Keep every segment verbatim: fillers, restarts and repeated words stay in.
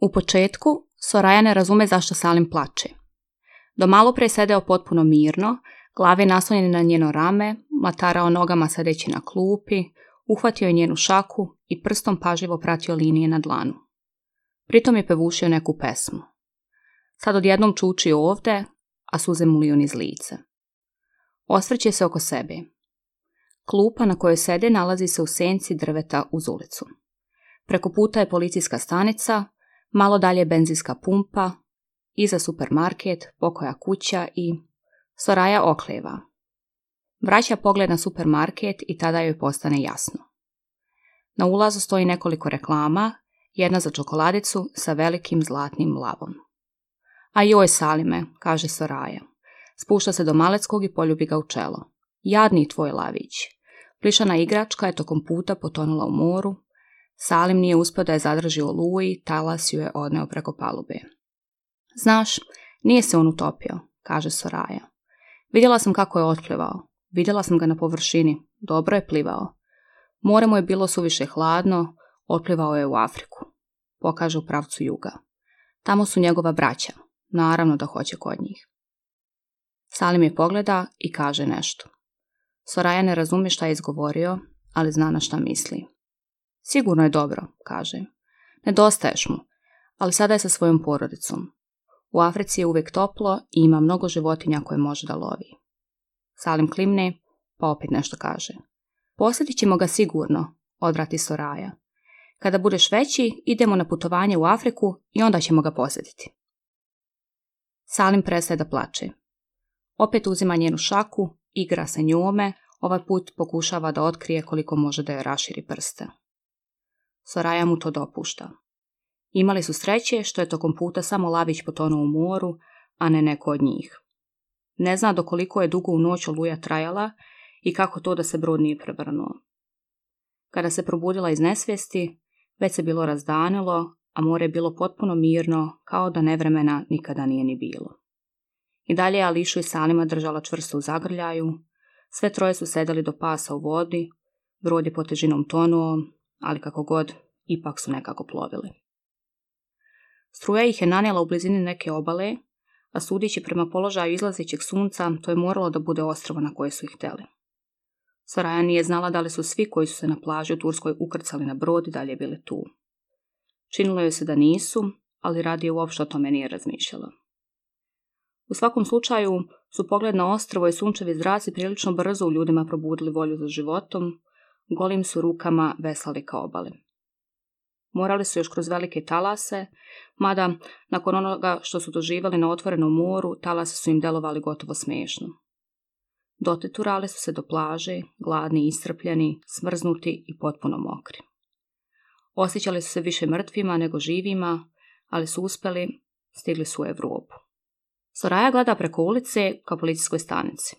U početku, Soraya ne razume zašto Salim plače. Do malo pre sedeo potpuno mirno, glave naslonjene na njeno rame, matarao nogama sedeći na klupi, uhvatio je njenu šaku i prstom pažljivo pratio linije na dlanu. Pritom je pevušio neku pesmu. Sad odjednom čuči ovde, a suze mu liju niz lice. Osvrće se oko sebe. Klupa na kojoj sede nalazi se u senci drveta uz ulicu. Preko puta je policijska stanica, malo dalje benzinska pumpa, iza supermarket, pokoja kuća i... Soraya okleva. Vraća pogled na supermarket i tada joj postane jasno. Na ulazu stoji nekoliko reklama, jedna za čokoladicu sa velikim zlatnim lavom. A joj, Salime, kaže Soraya. Spušta se do Maleckog i poljubi ga u čelo. Jadni tvoj lavić. Plišana igračka je tokom puta potonula u moru. Salim nije uspio da je zadrži u oluji, talas ju je odneo preko palube. Znaš, nije se on utopio, kaže Soraya. Vidjela sam kako je otplivao. Vidjela sam ga na površini. Dobro je plivao. More mu je bilo suviše hladno, otplivao je u Afriku. Pokaže u pravcu juga. Tamo su njegova braća. Naravno da hoće kod njih. Salim je pogleda i kaže nešto. Soraya ne razumije šta je izgovorio, ali zna na šta misli. Sigurno je dobro, kaže. Nedostaješ mu, ali sada je sa svojom porodicom. U Africi je uvijek toplo i ima mnogo životinja koje može da lovi. Salim klimne, pa opet nešto kaže. Posjetit ćemo ga sigurno, odvrati Soraya. Kada budeš veći, idemo na putovanje u Afriku i onda ćemo ga posjetiti. Salim prestaje da plače. Opet uzima njenu šaku, igra se njome, ovaj put pokušava da otkrije koliko može da joj raširi prste. Soraya mu to dopušta. Imali su sreće što je tokom puta samo lavić potonuo u moru, a ne neko od njih. Ne zna do koliko je dugo u noć oluja trajala i kako to da se brod nije prevrnuo. Kada se probudila iz nesvijesti, već se bilo razdanilo, a more je bilo potpuno mirno, kao da nevremena nikada nije ni bilo. I dalje je Ališu i Salima držala čvrsto u zagrljaju, sve troje su sedali do pasa u vodi, brod je po težinom tonuo, ali kako god, ipak su nekako plovili. Struja ih je nanijela u blizini neke obale, a sudići prema položaju izlazećeg sunca, to je moralo da bude ostrvo na koje su ih htjeli. Soraya nije znala da li su svi koji su se na plaži u Turskoj ukrcali na brod i dalje bili tu. Činilo joj se da nisu, ali radije uopšte o tome nije razmišljala. U svakom slučaju su pogled na ostrvo i sunčevi zraci prilično brzo u ljudima probudili volju za životom, golim su rukama veslali ka obali. Morali su još kroz velike talase, mada nakon onoga što su doživjeli na otvorenom moru, talase su im delovali gotovo smiješno. Doteturali su se do plaže, gladni, iscrpljeni, smrznuti i potpuno mokri. Osjećali su se više mrtvima nego živima, ali su uspjeli, stigli su u Evropu. Soraya gleda preko ulice ka policijskoj stanici.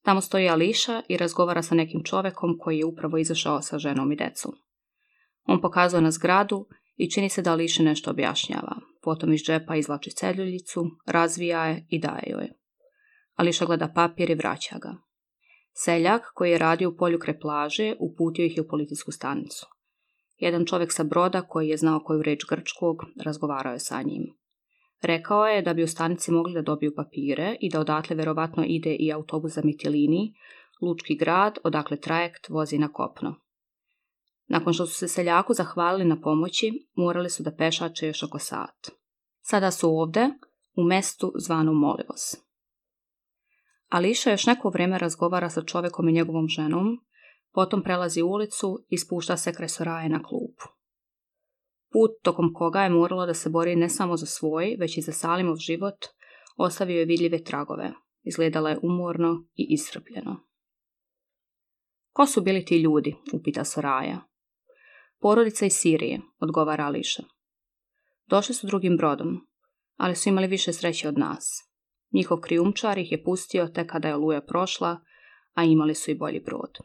Tamo stoji Ališa i razgovara sa nekim čovjekom koji je upravo izašao sa ženom i decom. On pokazuje na zgradu i čini se da Ališi nešto objašnjava. Potom iz džepa izvlači celjuljicu, razvija je i daje joj. Ališa gleda papir i vraća ga. Seljak, koji je radio u polju kraj plaže, uputio ih je u policijsku stanicu. Jedan čovjek sa broda, koji je znao koju reč grčkog, razgovarao je sa njim. Rekao je da bi u stanici mogli da dobiju papire i da odatle verovatno ide i autobus za Mitilini, lučki grad, odakle trajekt vozi na kopno. Nakon što su se seljaku zahvalili na pomoći, morali su da pešače još oko sat. Sada su ovde, u mestu zvanu Molivos. Ališa još neko vrijeme razgovara sa čovjekom i njegovom ženom, potom prelazi ulicu i spušta se kraj Soraje na klupu. Put tokom koga je moralo da se bori ne samo za svoj, već i za Salimov život, ostavio je vidljive tragove. Izgledala je umorno i iscrpljeno. Ko su bili ti ljudi, upita Soraya. Porodica iz Sirije, odgovara Ališa. Došli su drugim brodom, ali su imali više sreće od nas. Njihov krijumčar ih je pustio tek kada je oluja prošla, a imali su i bolji brod.